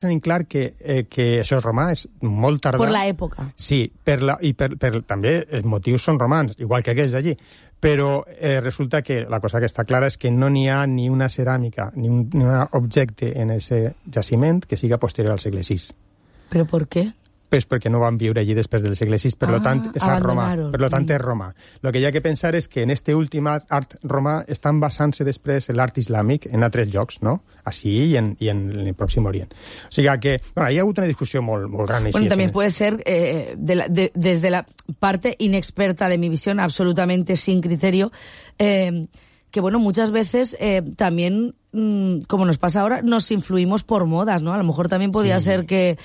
tenim clar que això és romà, és molt tardà. Per l'època. Sí, també els motius són romans, igual que aquells d'allí. Però resulta que la cosa que està clara és que no n'hi ha ni una ceràmica ni un objecte en aquest jaciment que siga posterior al segle VI. ¿Però per què? Pues perquè no van viure allí després del segle VI, per tant és art romà. Per tant és romà. El que hi ha que pensar és que en este últim art romà estan basant-se després l'art islàmic en altres llocs, no? Així i en el Pròxim Orient. O sigui que hi ha hagut una discussió molt gran. Bueno, también puede ser, desde la parte inexperta de mi visión, absolutamente sin criterio, que bueno, muchas veces también, como nos pasa ahora, nos influimos por modas, ¿no? A lo mejor también podría ser que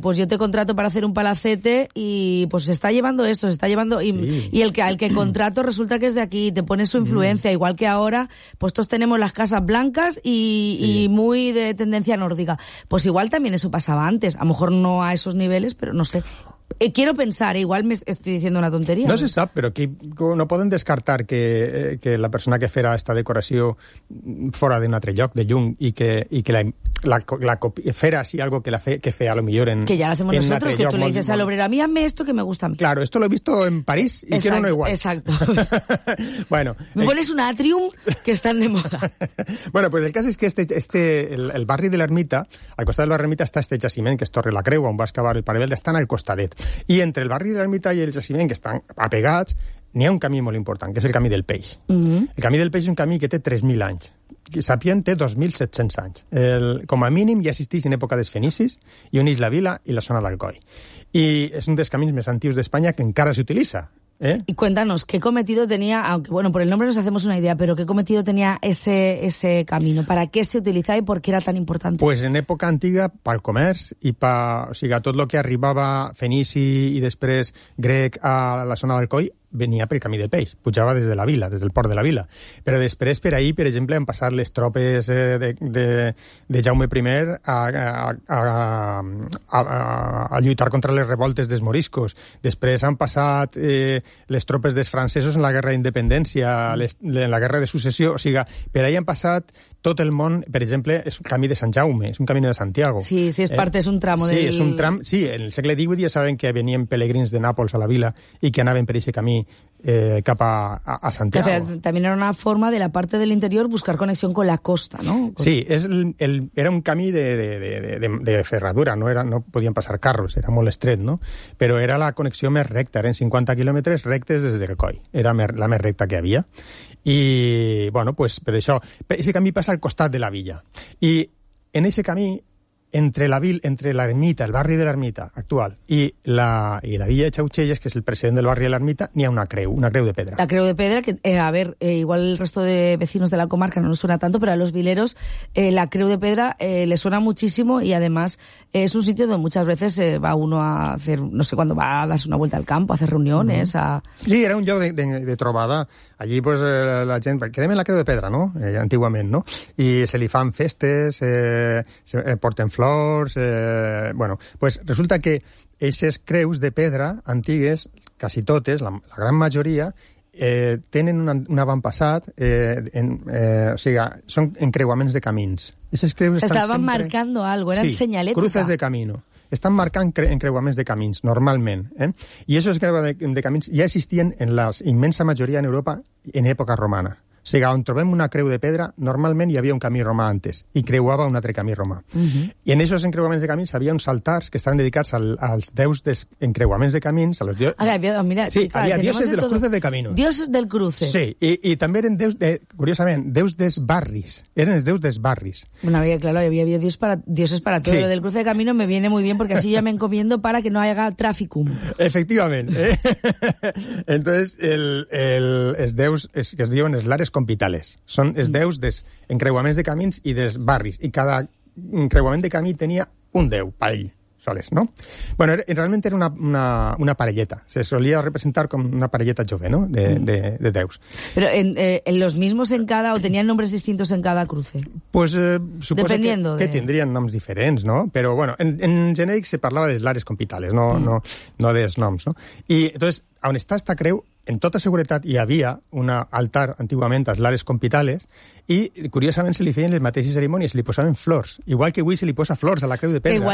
pues yo te contrato para hacer un palacete y pues se está llevando esto, se está llevando y el que contrato resulta que es de aquí, te pone su influencia, igual que ahora pues todos tenemos las casas blancas y muy de tendencia nórdica. Pues igual también eso pasaba antes, a lo mejor no a esos niveles, pero no sé. Quiero pensar, igual me estoy diciendo una tonteria. No se sap, però aquí no poden descartar que la persona que farà esta decoració fora d'un altre lloc, de lluny, i que la fera así algo que fe a lo mejor en que ya lo hacemos nosotros, que tú le dices al obrero, a mí hazme esto que me gusta a mí. Claro, esto lo he visto en París y quiero uno igual. Exacto. Bueno, me pones un atrium que están de moda. Bueno, pues el cas és que el barri de l'Ermita, al costat de l'Ermita està este jaciment, que és Torre la Creu, on va excavar el Paravelde, estan al costadet. I entre el barri de l'Ermita i el jaciment, que estan apegats, n'hi ha un camí molt important, que és el camí del Peix. El camí del Peix és un camí que té 3.000 anys. Sapient té 2.700 anys. Com a mínim ja existeix en època dels fenicis i uneix la vila i la zona d'Alcoi. I és un dels camins més antics d'Espanya que encara s'utilitza. Y cuéntanos, ¿qué cometido tenía, aunque bueno, por el nombre nos hacemos una idea, pero qué cometido tenía ese camino? ¿Para qué se utilizaba y por qué era tan importante? Pues en època antiga, pel comerç i o sigui, tot el que arribava fenici i després grec a la zona d'Alcoi venia pel camí del Peix, pujava des de la vila, des del port de la vila. Però després per ahí, per exemple, han passat les tropes de Jaume I a lluitar contra les revoltes dels moriscos. Després han passat les tropes dels francesos en la guerra d'independència, en la guerra de successió. O sigui, per ahí han passat tot el món, per exemple, és un camí de Sant Jaume, és un camí de Santiago. Sí, és part, és un tramo del... Sí, és un tram, sí, en el segle XVIII ja saben que venien pelegrins de Nàpols a la vila i que anaven per aquest camí cap a Santiago. También era una forma de la parte del interior buscar conexión con la costa, ¿no? Sí, era un camí de ferradura, no podien passar carros, era molt estret, no? Però era la connexió més recta, eren 50 quilòmetres rectes des de Alcoi, era la més recta que havia. I, bueno, pues per això, aquest camí passa al costat de la villa. I en aquest camí, entre l'ermita, el barri de l'ermita actual, i la villa de Xauxelles, que és el precedent del barri de l'ermita, n'hi ha una creu de pedra. La creu de pedra, que, a ver, igual el resto de vecinos de la comarca no nos suena tanto, pero a los vileros la creu de pedra les suena muchísimo y además es un sitio donde muchas veces va uno a hacer, no sé, cuando va a darse una vuelta al campo, a hacer reuniones, Sí, era un lloc de trobada. Allí, pues, la gent... Quedem en la creu de pedra, no? Antigament, no? I se li fan festes, se porten flors... Bueno, pues resulta que aquestes creus de pedra antigues, quasi totes, la gran majoria, tenen un avantpassat, o sigui, són encreuaments de camins. Estaven marcando algo, eren señaletas. Cruces de camino. Estan marcant encreuaments de camins, normalment. I aquests encreuaments de camins ja existien en la immensa majoria en Europa en època romana. O sigui, on trobem una creu de pedra, normalment hi havia un camí romà antes, i creuava un altre camí romà. I en aquests encreuaments de camins havia uns altars que estaven dedicats als déus dels encreuaments de camins, a los dioses... Mira, sí, havia dioses de los cruces de caminos. Dioses del cruce. Sí, i també eren déus, curiosament, déus dels barris. Eren els déus dels barris. Bueno, claro, había dioses para todo. Sí. Lo del cruce de camino me viene muy bien, porque así ya me encomiendo para que no haya traficum. Efectivamente. Entonces, els déus que es diuen els lares compitales. Són els déus dels encreuaments de camins i dels barris. I cada encreuament de camí tenia un déu per ell. O soles, no? Bueno, realment era una parelleta. Se solía representar com una parelleta jove, ¿no? De deus. ¿Pero en los mismos en cada, o tenían nombres distintos en cada cruce? Pues suposo que tindrien noms diferents, no? Però, bueno, en genèric se parlava de lares compitales, no dels noms, no? I, entonces, on està esta creu, en tota seguretat hi havia un altar antigament als lares compitales i, curiosament, se li feien les mateixes cerimònies, se li posaven flors, igual que avui se li posa flors a la creu de pedra.